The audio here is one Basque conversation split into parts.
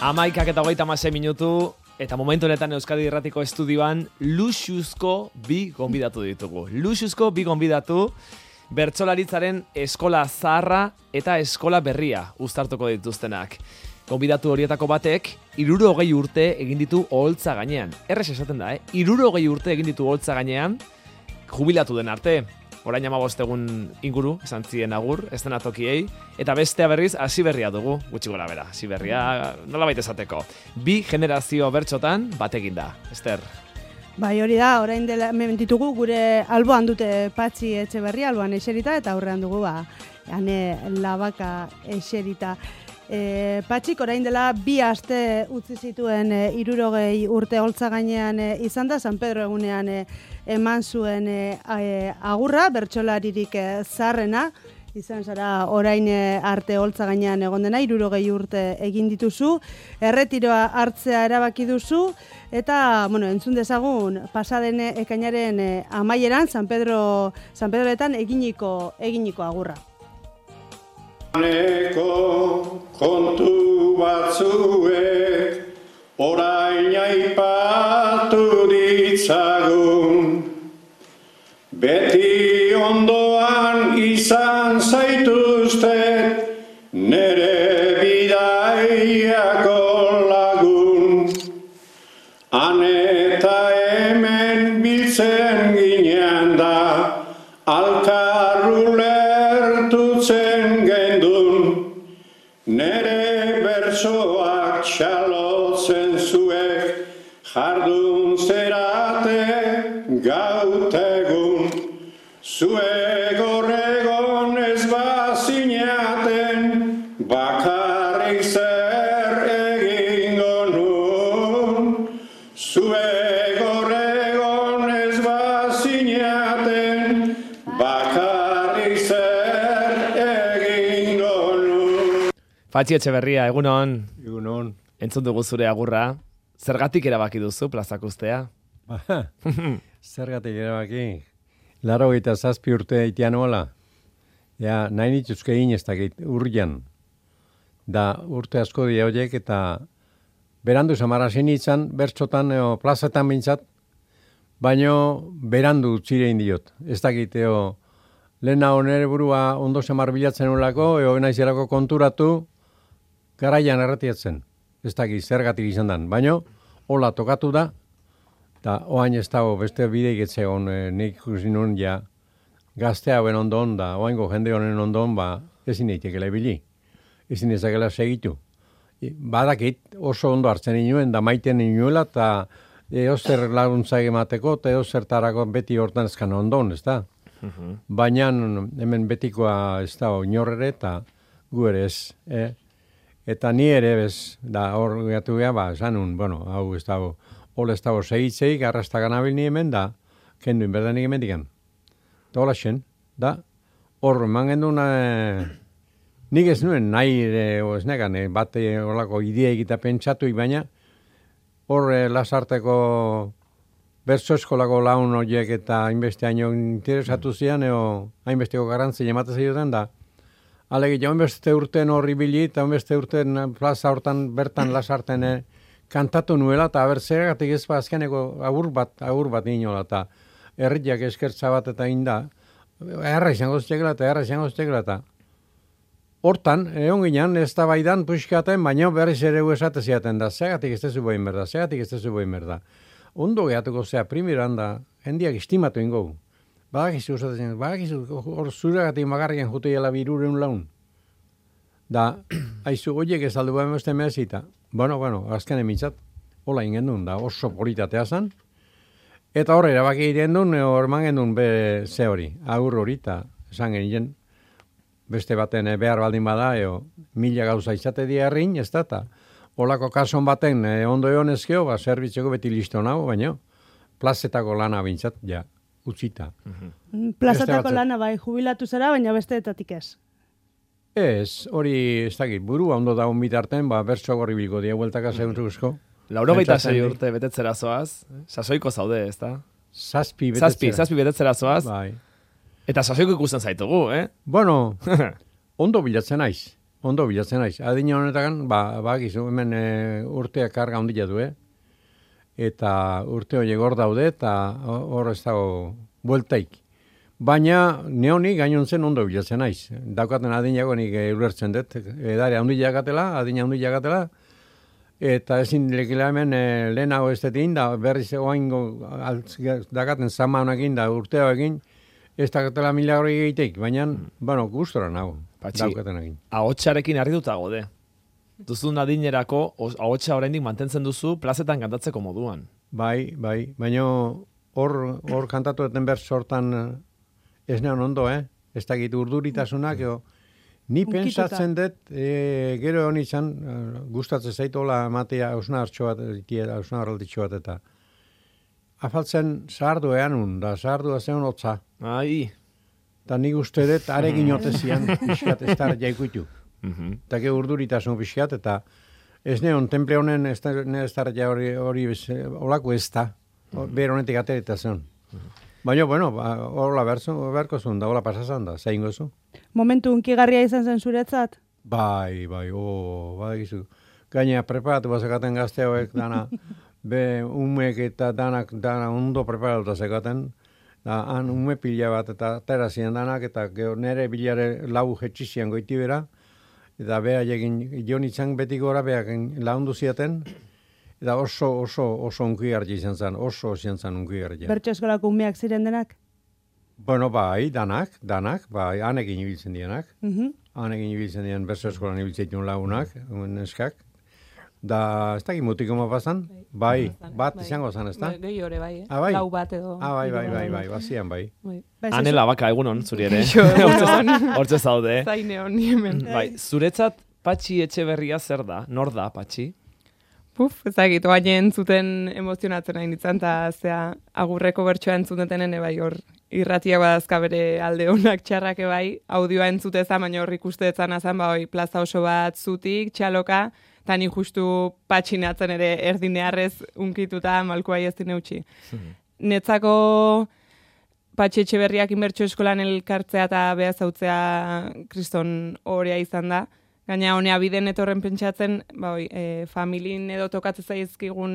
11:26 eta momentu honetan Euskadi Irratiko estudioan luxuzko bi gonbidatu ditugu. Luxuzko bi gonbidatu bertsolaritzaren eskola zaharra eta eskola berria uztartuko dituztenak. Gonbidatu horietako batek 60 urte egin ditu oholtza gainean. Errez esaten da, 60 urte egin ditu oholtza gainean jubilatu den arte. Orain 15 egun inguru, esan zien agur, eszenatokiei, eta bestea berriz hasiberria dugu, gutxi gora bera. Hasiberria nolabait esateko. Bi generazio bertsotan batekin da. Ester. Bai, hori da, orain dela ditugu gure alboan dute Patxi Etxeberria, alboan eserita, eta aurrean dugu Ane Labaka eserita. Patxik orain dela 2 aste utzi zituen 60 urte holtza gainean izan da, San Pedro egunean eman zuen agurra, bertsolaririk zaharrena, izan zara orain arte holtza gainean egon dena, 60 urte egin dituzu, erretiroa hartzea erabaki duzu, eta, entzun dezagun, pasaden ekainaren amaieran, San Pedroetan eginiko agurra. Kontu batzuek orain aipatu ditzagun, beti ondoan izan zaituztet nere bidaiako lagun. Han eta hemen biltzen ginean da, alkarru lertutzen gendun, nere bersoak txalotzen zuek, jardun zerate gautegun. Zuek horregon ez bazinaten, bakarrik zer egingo nun. Zuek horregon ez bazinaten, bakarrik zer egingo nun. Patxi Etxeberria, egunon. Egunon. Entzun dugu zure agurra. Zergatik erabaki duzu plazak ustea? Zergatik erabaki? 87 urte itian hola. Ja, nahi nituzke ez dakit, urrian. Da urte asko dira horiek eta berandu zamarazen itzan, bertzotan plazetan bintzat, baino berandu txirein diot. Ez dakit, lehena honere burua ondo zamar bilatzen olako, naizerako konturatu, garaian erretiatzen. Ez dakit, zergatik izan dan. Baino, hola tokatu da, eta oain ez dago beste bideik etzegon, nik ikusi nun ja gazte hauen ondon, da oaingo jende honen ondon, ezin eitekela ibili, ezin ezakela segitu. Badakit oso ondo hartzen inuen, da maiten inuela, eta eozer laguntza emateko, eta eozertarako beti hortan ezkan ondon, ez da? Baina hemen betikoa ez da inorrere, eta gu ere ez, Eta ni ere bez, da hor gatu geha, esanun, hau ez dago, hol ez dago segitzeik, arrasta ganabil ni hemen, da, kenduin berdanik hemen digan. Da hola xen, da, hor eman gendun, nik ez nuen nahi, ez negan, bate horlako idea egita pentsatu, baina hor lasarteko bertso eskolako laun horiek eta hainbeste haino interesatu zian, hainbesteko garrantzia ematen zioten, da, Alegi, jaun beste urten horri bili, eta beste urten plaza hortan bertan lasarten kantatu nuela, eta zergatik ez azkeneko agur bat inola, eta herriak eskertza bat eta inda, erra izango ztekela, eta hortan, egon ginen, ez da baidan puxkaten, baina berriz ere esate ziaten da, zergatik ez tezu boin berda. Ondo gehatuko zea, primiran da, jendiak estimatu ingo. Badakizu hor zuregatik magarrien juteiela 200 laun. Da, haizu, oiek ez aldu behar beste mehazita. Azken emitzat, hola ingendun, da oso politatea zan. Eta horre, erabaki irendun, horman gendun be ze hori, agur hori, eta esan genien, beste baten behar baldin bada, 1000 gauza izate diarrin, ez da, eta holako kason baten ondo egon ezkeo, zerbitzeko beti listo nago, baina plazetako lana bintzat, ja. Utzita. Plazatako lana bai, jubilatu zera, baina besteetatik ez. Ez, hori ez dakit, burua ondo dagoen bitarten, bertso gorri bilko dia, bueltaka zeuntzuzko. 86 urte betetzera zoaz, sasoiko zaude, ez da? Zazpi betetzera zoaz. Bai. Eta sasoiko ikusten zaitugu, Ondo bilatzen naiz. ondo bilatzen naiz. Adina honetakan, gizu, hemen urteak karga ondila du, eta urte horiek hor daude, eta hor ez dago bueltaik. Baina neoni gainontzen ondo bilatzen naiz. Daukaten adinago nik ulertzen dut, edare ondila gatela, adina ondila gatela, eta ezin lekila hemen lehenago ez detin, da berriz oaingo dakaten zama honekin, da urteo egin, ez dakatela milagro egiteik, baina, gustora nago, daukaten egin. Ahotsarekin harrituta gode. Duzun adinerako, ahotsa oraindik mantentzen duzu plazetan kantatzeko moduan. Bai, baina hor kantatu eten behar sortan ez neon ondo, ez dakit urduritasunak, ni pensatzen dut, gero honi izan, gustatzen zaitu hola ematea hausnartxo bat, eta afaltzen zahardu eanun, da zahardu zen hotza. Ai. Eta nik uste dut, arekin otezian, pixkat ez da jaikuitu. Eta ge urduritasun pixkat, eta ez neon, temple honen ez da hori olako ez da, behar honetik aterita zen. Baina, hola berko zuen da, hola pasazan da, zein gozu. Momentu unkigarria izan zen zuretzat? Bai, badakizu. Gaina preparatu bazekaten gazte hauek dana, umek eta dana ondo preparatuta zekaten, da han ume pila bat eta terazien danak, eta nere bilare lau jetxizian goiti bera, eta beha egin jonitzan beti gora beha laundu ziaten, eta oso unkigarri izan zen, oso izan zen unkigarri. Bertso eskolako umeak ziren denak? Bai, danak, bai, hanekin ibiltzen dienak. Hanekin ibiltzen dien bertso eskolan ibiltzen dien lagunak, neskak. Da, ez dakit mutiko mapazan? Bai, bat izango zan, ez da? Gehi hore bai, bai? Lau bat edo. Bai, bazian bai. Anela baka egunon, zuri ere. Hortze zaude. Zaineon, hemen. Bai, zuretzat Patxi Etxeberria zer da? Nor da, Patxi? Ezagit, oain entzuten emozionatzen nahi nintzen, eta zea agurreko bertsoa entzuteten bai hor irratiak badazka bere alde honak txarrak bai, audioa entzuteza, baina hor ikusteetzan azan, plaza oso bat zutik, txaloka, eta ni justu patxinatzen ere erdinearrez unkituta malkoa ez dine utzi. Netzako Patxi Etxeberriak inbertsio eskolan elkartzea eta behazautzea kriston horea izan da. Gaina honea biden etorren pentsatzen, familin edo tokatzen zaizkigun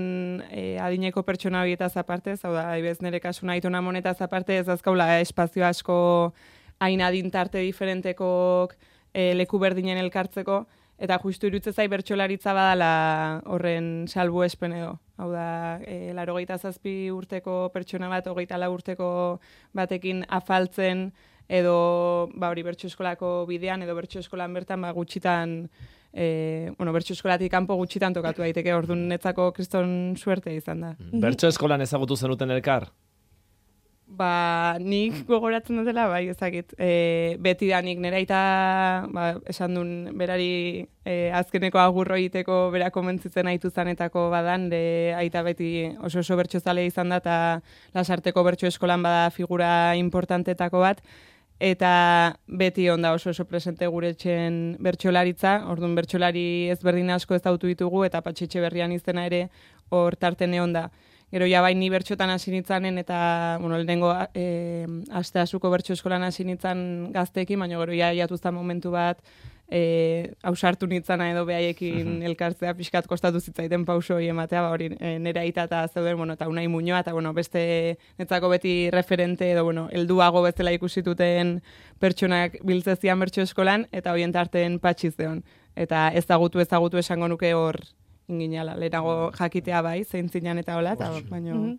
adineko pertsona horietaz aparte, hau da, ibez nire kasuna aitona monetaz aparte, ez azkaula espazio asko hain adintarte diferentekok leku berdinen elkartzeko, eta justu iruditzen zai bertsolaritza badala horren salbuespen edo. Hau da, 87 urteko pertsona bat, 24 urteko batekin afaltzen, edo hori bertso eskolako bidean, edo bertso eskolan bertan gutxitan, bertso eskolatik kanpo gutxitan tokatu daiteke, orduan netzako kriston suerte izan da. Bertso eskolan ezagutu zenuten elkar? Nik gogoratzen dutela, ezakit, beti da nik nera eta esan duen berari azkeneko agurro egiteko bera komentzitzen haitu zanetako badan, aita beti oso bertso zale izan da, eta Lasarteko bertso eskolan bada figura importantetako bat, eta beti onda oso presente gure etxen bertsolaritza, orduan bertsolari ezberdin asko ez dautu ditugu, eta Patxi Etxeberrian izena ere hor tartene onda. Gero bai ni bertxotan hasi nitzanen, eta lehenengo asteasuko bertso eskolan hasi nitzan gazteekin, baina gero jatuzta momentu bat ausartu nitzana edo behaiekin elkartzea pixkat kostatu zitzaiten pauso hori ematea, hori nera aita eta zeuden, eta Unai Muñoa, eta beste netzako beti referente edo helduago bezala ikusituten pertsonak biltzezian bertso eskolan, eta horien tarten Patxi zeon. Eta ezagutu esango nuke hor inginala, lehenago jakitea bai, zein zinan eta hola, eta baino...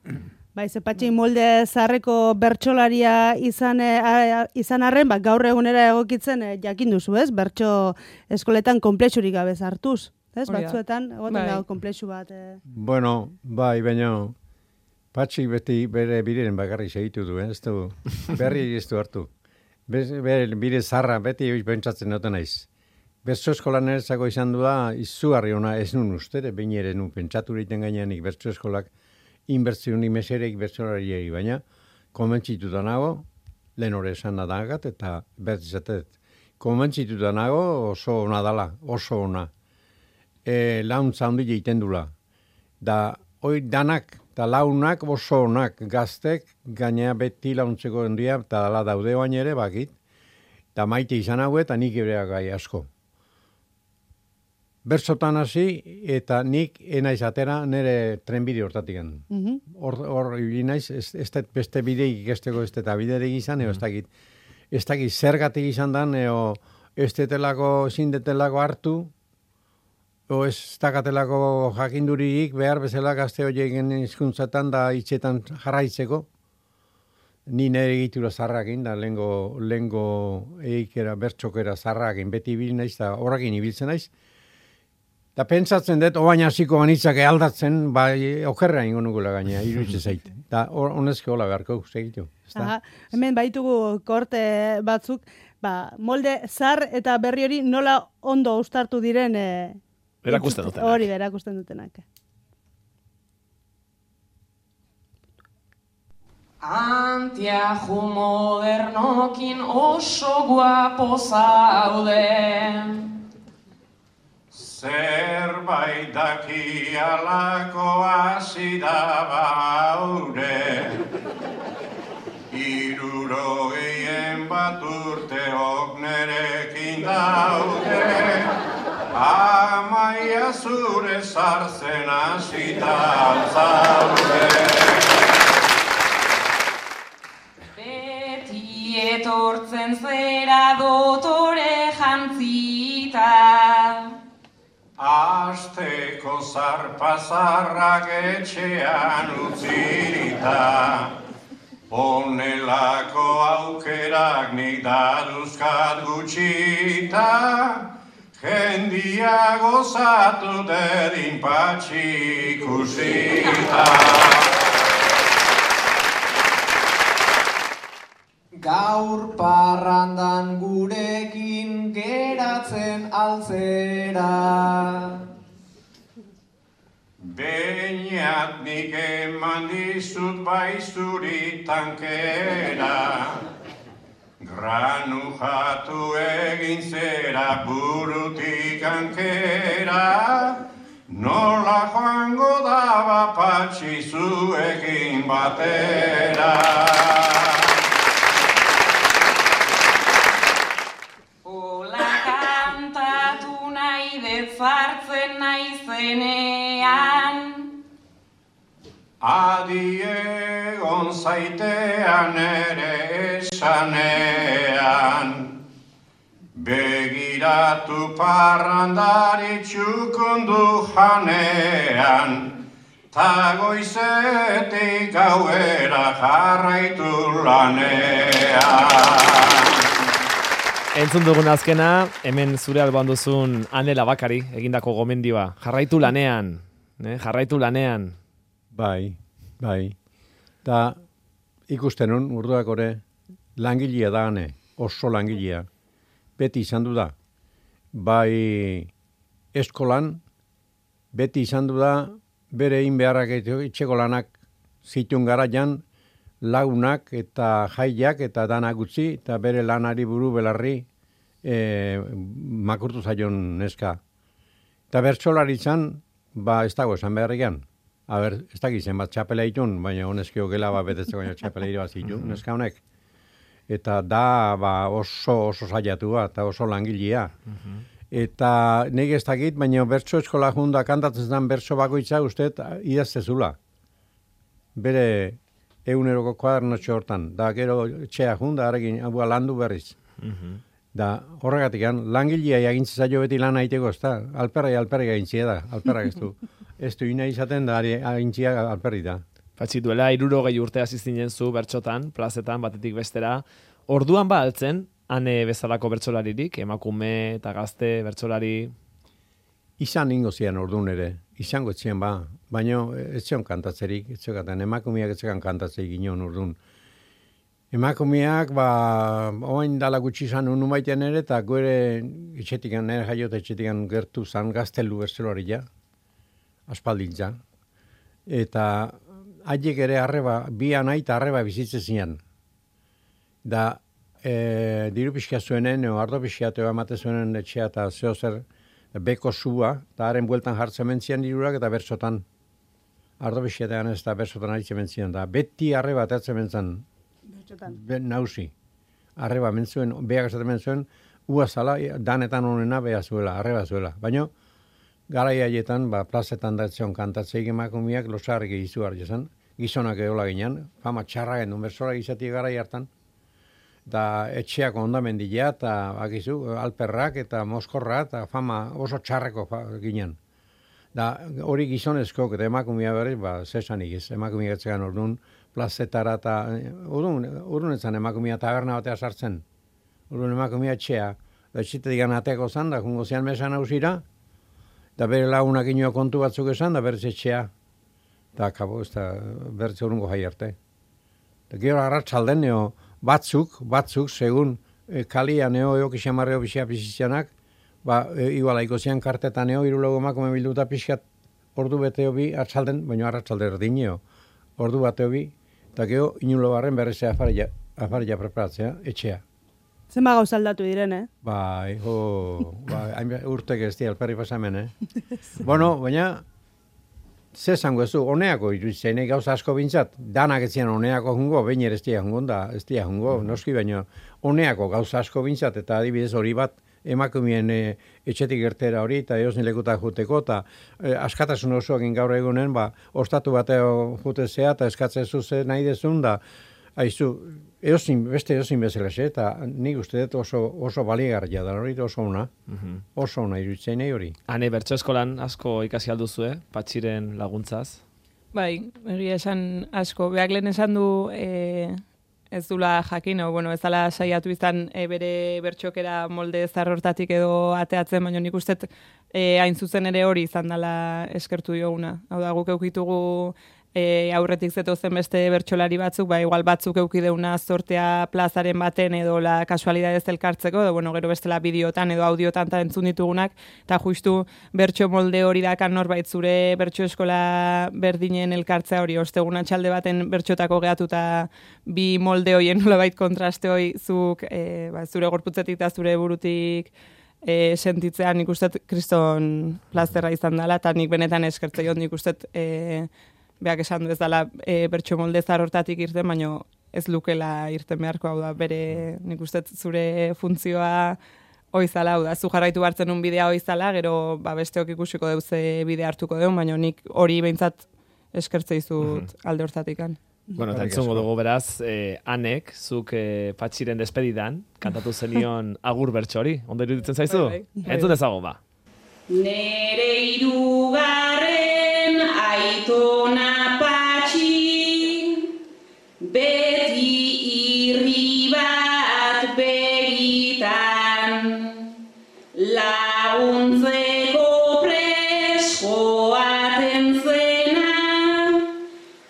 Ze Patxi molde zarreko bertsolaria izan arren, gaur egunera egokitzen jakin duzu, ez? Bertso eskoletan konplexurik gabe hartuz, ez? Batzuetan, egoten dago konplexu bat. Baina Patxi beti bere biriren bakarri segitu du, ez du, berri ez du hartu. Bire zarra beti pentsatzen duten naiz. Bertso eskolan eretzako izan du da, izugarri ona ez nun uste, behin ere nun pentsatu egiten gainean bertso eskolak inbertzioni mesereik bertsolariei, baina konbentzituta nago, lehen hori esan nadagat eta bertizatet. Konbentzituta nago oso ona dala, oso ona. Launtza handi egiten dula. Da, hoi danak, eta launak oso onak gaztek, gaina beti launtzeko hendia, eta dala daude baina ere bakit, eta maite izan hau eta nik ere gai asko. bertsotan hasi, eta nik enaiz atera nire trenbide hortatik. Hor ibili naiz, ez beste bideik ikesteko ez eta biderik izan, ez dakit zergatik izan dan, ez detelako, ezin detelako hartu, ez dakatelako jakinduririk behar bezala gazte horiek hizkuntzatan da hitzetan jarraitzeko. Ni nire egitura zarrakin, da lehengo eikera, bertxokera zarrakin, beti ibil naiz, da horrekin ibiltzen naiz. Da pentsatzen dut, oain hasiko ganitzak aldatzen, okerra ingo nukula gaina, iruditzen zait. Da honezke hola beharko, segitu. Hemen baitugu korte batzuk, molde zar eta berri hori nola ondo uztartu diren erakusten dutenak. Hori erakusten dutenak. Antiaju modernokin oso guapo zaude. Zerbait daki alako hasi da baude. 61 urteok nerekin daude. Amaia zure zartzen hasita zaude. Etortzen zera dotore jantzita. Asteko zarpazarrak etxean utzirita. Honelako aukerak nik daduzkat gutxita. Jendia gozatu dedin patxi ikusita. Gaur parrandan gurekin geratzen altzera. Beñat nik eman dizut baizuri tankera. Granu jatu egin zera burutik ankera. Nola joango daba patxi zuekin batera. Zartzen naizenean. Adi egon zaitean ere esanean. Begiratu parrandari txukundu janean. Ta goizetik gauera jarraitu lanean. Entzun dugun azkena, hemen zure alboan duzun Ane Labakari egindako gomendioa. Jarraitu lanean, jarraitu lanean. Bai. Da ikusten nun, urduak ore, langilea da Ane, oso langilea. Beti izan du da. Bai eskolan, beti izan du da, bere egin beharrak etxeko lanak zituen garaian, lagunak eta jaiak eta danak utzi, eta bere lanari buru belarri makurtu zaion neska. Eta bertsolaritzan, ez dago esan beharrikan. Ez dakizen bat txapela itun, baina honezkio gela betetzeko baina txapela ire bat zitun, neska honek. Eta da oso zaiatua eta oso langilea. Eta nik ez dakit, baina bertso eskola junda kantatzen zen bertso bakoitza usteet idaztezula. Bere eguneroko kuadernotxo hortan, da gero txea junda, harekin landu berriz. Da horregatik, langilea egintze zaio beti lan aiteko, ez da, alperra egintzia da, alperrak ez du ina izaten da, egintzia alperri da. Patxi duela, 60 urte hasi zinen zu bertsotan, plazetan, batetik bestera, orduan altzen, Ane bezalako bertsolaririk, emakume eta gazte bertsolari? Izan ingo zian orduan ere, izango etxean baina etxean kantatzerik, emakumeak etxean kantatzerik ginen orduan. Emakumeak, oain dala gutxi izan unu maitean ere, eta gore etxetikan, nire jaiot etxetikan gertu zan gaztelu bertsolari ja, aspaldintza. Eta haiek ere bi anai eta arreba bizitzen zian. Da, diru pixka zuenen, ardo pixka emate zuenen etxea eta zeo zer beko zua, eta haren bueltan jartzen mentzian dirurak eta bertsotan. Ardo pixka ez da bertsotan aritzen mentzian. Da, beti arreba atatzen mentzan. Nauzi. Arreba mentzuen, beak esaten mentzuen, ua zala, danetan honena beha zuela, arreba zuela. Baina, garai haietan, plazetan da etzion kantatzeik emakumeak losarrik izu hartzen, gizonak edola ginen, fama txarra genuen bersola izatik garai hartan, eta etxeak ondamendila, eta akizu, alperrak, eta moskorra, eta fama oso txarreko ginen. Da, hori gizonezko, eta emakumea berriz, zesanik ez, emakumea etzegan orduan, plazetara, eta orduan etzan emakumea taberna batea sartzen, orduan emakumea etxea, da etxitetik anateko zan, da jungo zean mesan hausira, da bere lagunak inoa kontu batzuk esan, da berriz etxea, da kabo, ez da berriz urungo jai arte. Da gero arratsalden neo, batzuk, segun kalia neo eokixamarreo pixia pixitzanak, igualaiko zian kartetan neo, irulago emakume bilduta pixkat ordu beteo bi, arratsalden, baina arratsalde erdineo, ordu bateo bi, eta gero inulo barren berriz afarilla preparatzea, etxea. Zenba gauza aldatu diren, urtek ez di alperri pasamen, Bueno, baina, ze zango ez du, honeako iruditzen, gauza asko bintzat, danak ez zian honeako jungo, baina ez dia jungo, noski, baina honeako gauza asko bintzat, eta adibidez hori bat, emakumeen etxetik gertera hori, eta eosin lekutak juteko, eta askatasun osoakin gaur egunen, ostatu bateo jutezea, eta eskatzen zuze nahi dezun, da, haizu, beste eosin bezala, eta nik uste dut oso baligarria da, hori oso ona, oso ona iruditzen hori. Hane, bertso eskolan asko ikasi alduzue, Patxiren laguntzaz? Bai, egia esan asko. Beak lehen esan du ez dula jakin, ez dala saiatu izan bere bertxokera molde zarrortatik edo ateatzen, baina nik uste hain zuzen ere hori izan dela eskertu dioguna. Hau da, guk eukitugu aurretik zetozen beste bertsolari batzuk, igual batzuk eukideuna sortea plazaren baten edo la kasualidadez elkartzeko, edo gero bestela bideotan edo audiotan eta entzun ditugunak, eta justu bertso molde hori dakan norbait zure bertso eskola berdinen elkartzea hori, osteguna txalde baten bertxotako gehatuta bi molde horien nolabait kontraste hori zuk zure gorputzetik eta zure burutik sentitzean nik uste kriston plazerra izan dela, eta nik benetan eskertzeion nik uste beak esan du ez dela bertso molde zarortatik irten, baina ez lukela irten beharko, hau da, bere nik uste zure funtzioa oizala, hau da, zu jarraitu hartzen un bidea oizala, gero besteok ikusiko deuze bide hartuko deun, baina nik hori behintzat eskertzeizut alde hortatikan. Bueno, eta entzungo dugu beraz, Anek, zuk Patxiren despedidan, kantatu zenion agur bertso hori, ondo iruditzen zaizu? Entzun dezago, ba. Nere irugarren aitona Patxi, beti irri bat begitan, laguntzeko preskoaten zena,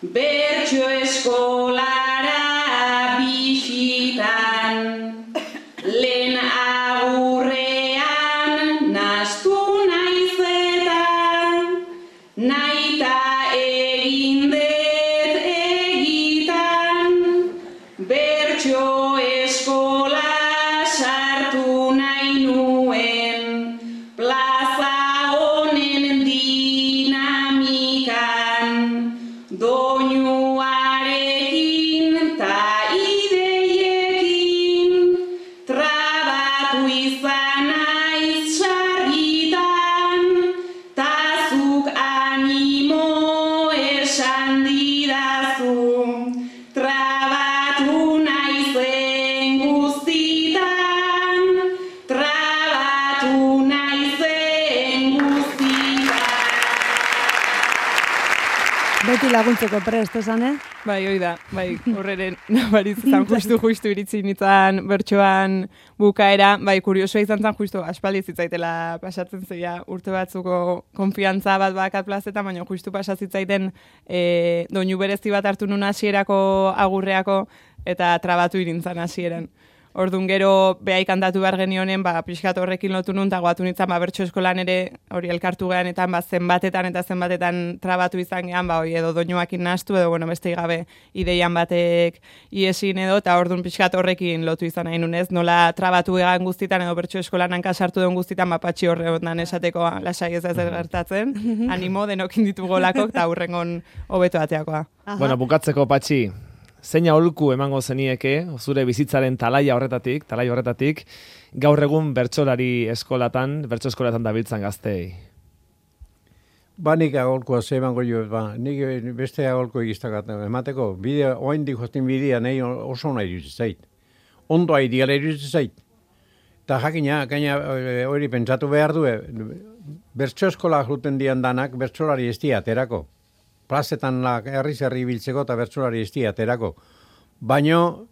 bertso eskolara bisitan, lehen agurrean nastu naita egin dut egitan, bertso eskola sartu nahi nuen, plaza honen dinamikan, doinuarekin ta ideiekin, trabatu izan naiz sarritan, tazuk animo esan didazu, trabatu naizen guztitan, trabatu naizen guztitan. Beti laguntzeko prest, esan, Bai, hoi da, horreren nabariz izan justu iritzi nintzen bertsoan bukaera, kuriosoa izan zen justu aspaldi zitzaitela pasatzen zeia urte batzuko konfiantza bat bakat plazetan, baina justu pasazitzaiten doinu berezi bat hartu nun hasierako agurreako eta trabatu irintzan hasieran. Orduan gero behai kantatu behar genionen, pixkat horrekin lotu nun, eta goatu nintzen bertso eskolan ere hori elkartu geanetan, zenbatetan trabatu izan gehan, edo doinuakin nahastu, edo beste gabe ideian batek iesin edo, eta orduan pixkat horrekin lotu izan nahi nunez, nola trabatu egan guztitan, edo bertso eskolan hankasartu den guztitan, Patxi horre ondan esateko lasai ez gertatzen, animo denokin ditugu lakok, eta hurrengon hobeto ateakoa. Bueno, bukatzeko Patxi, zein aholku emango zenieke, zure bizitzaren talai horretatik, gaur egun bertso eskolatan dabiltzan gaztei? nik agolkoa zebango jo, nik beste agolko egiztakat emateko, bidea, oaindik joztin bidea, nahi oso nahi iruditzen zait. Ondo ideala iruditzen zait. Eta jakina, hori pentsatu behar du, bertso eskola juten dian danak, bertsolari ez aterako. Plazetan herri biltzeko eta bertsolari ez aterako. Baino,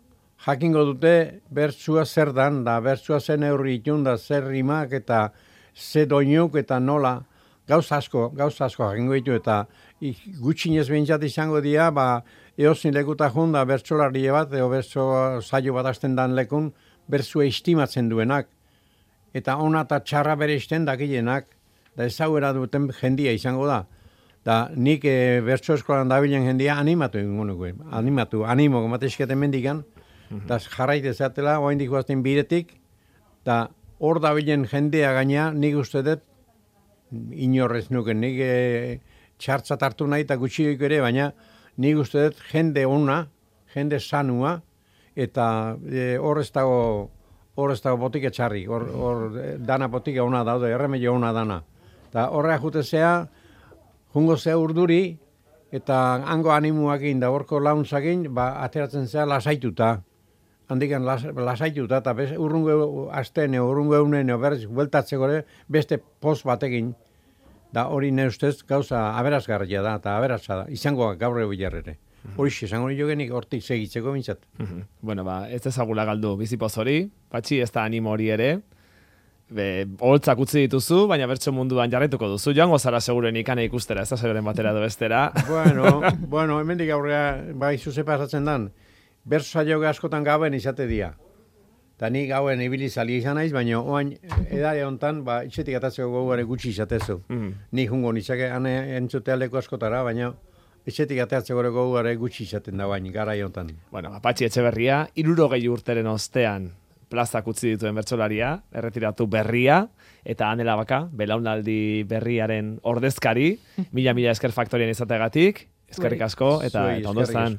jakingo dute, bertsua zer dan, da bertsua zen eurri itun, da zer rimak eta ze doinuk eta nola, gauza asko jakingo ditu eta gutxinez behintzat izango dira, eozin lekuta jun da bertsolari bat, edo bertso saio bat hasten dan lekun, bertsua estimatzen duenak. Eta ona eta txarra bere isten dakilenak, da ezaguera duten jendia izango da. Da nik bertso eskolan dabilen jendia animatu egingo nuke. Animo gomatezketen mendikan, eta jarraite zatela, oaindik guazten biretik, eta hor dabilen jendea gaina nik uste dut, inorrez nuken, nik txartzat hartu nahi eta gutxioik ere, baina nik uste dut jende ona, jende sanua, eta hor ez dago botika txarri, hor dana botika ona daude, erremedio ona dana. Eta horrea jutezea, jungo zea urduri, eta hango animuakin da horko launtzakin, ateratzen zea lasaituta. Handikan lasaituta, eta urrungo asten, urrungo eunen, berriz, bueltatzeko ere, beste poz batekin. Da hori ne ustez gauza aberasgarria da, eta aberasa da, izango gaur egu jarrere. Horix, esango nio genik hortik segitzeko bintzat. Bueno, ez ezagula galdu bizipoz hori, Patxi ez da animo hori ere, holtzak utzi dituzu, baina bertso munduan jarraituko duzu, joango zara seguren ikane ikustera, ez da seguren batera edo bestera. Bueno, hemendik aurrea, izuze pasatzen dan, bertso saio askotan gauen izate dira. Eta ni gauen ibili zali izan naiz, baina oain edare hontan, itxetik atatzeko goguare gutxi izatezu. Ni jungo nitzake entzute aldeko askotara, baina etxetik ateatzeko goguare gutxi izaten da bain, gara hontan. Bueno, Patxi Etxeberria, 60 urteren ostean plazak utzi dituen bertsolaria, erretiratu berria, eta Ane Labaka, belaunaldi berriaren ordezkari, mila esker faktorian izateagatik, eskerrik asko, eta ondo zan.